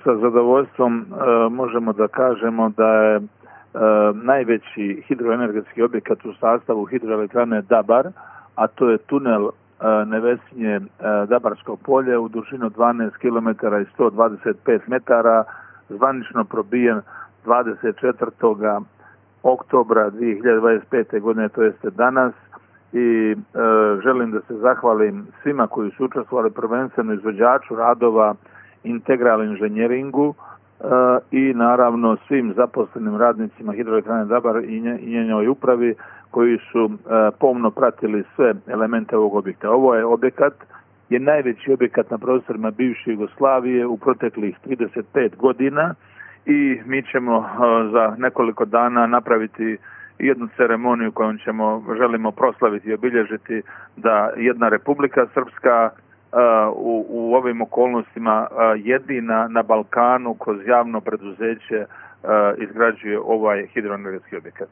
sa zadovoljstvom možemo da kažemo da je najveći hidroenergetski objekat u sastavu hidroelektrane Dabar, a to je tunel Nevesinje Dabarsko polje u dužinu 12 km i 125 metara, zvanično probijen 24. oktobra 2025. godine, to jeste danas, i želim da se zahvalim svima koji su učestvovali, prvenstveno izvođaču radova Integral inženjeringu i naravno svim zaposlenim radnicima hidroelektrane Dabar i njenoj upravi koji su pomno pratili sve elemente ovog objekta. Ovo je objekat, je najveći objekat na prostorima bivše Jugoslavije u proteklih 35 godina i mi ćemo za nekoliko dana napraviti jednu ceremoniju kojom želimo proslaviti i obilježiti da jedna Republika Srpska u ovim okolnostima jedina na Balkanu kroz javno preduzeće izgrađuje ovaj hidroenergetski objekat.